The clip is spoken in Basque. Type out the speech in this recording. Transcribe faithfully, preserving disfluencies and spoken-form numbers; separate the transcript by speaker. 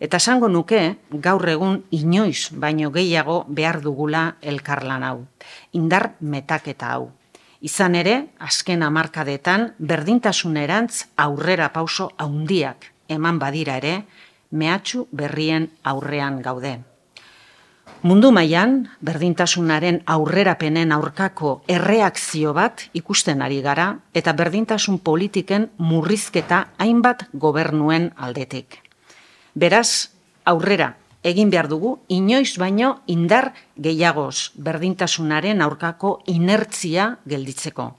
Speaker 1: Eta esango nuke, gaur egun inoiz baino gehiago behar dugula elkarlan hau, indar metaketa hau. Izan ere, azken hamarkadetan berdintasunerantz aurrera pauso handiak eman badira ere, mehatxu berrien aurrean gaude. Mundu mailan berdintasunaren aurrerapenen aurkako erreakzio bat ikusten ari gara eta berdintasun politiken murrizketa hainbat gobernuen aldetik. Beraz, aurrera egin behar dugu inoiz baino indar gehiagoz berdintasunaren aurkako inertzia gelditzeko.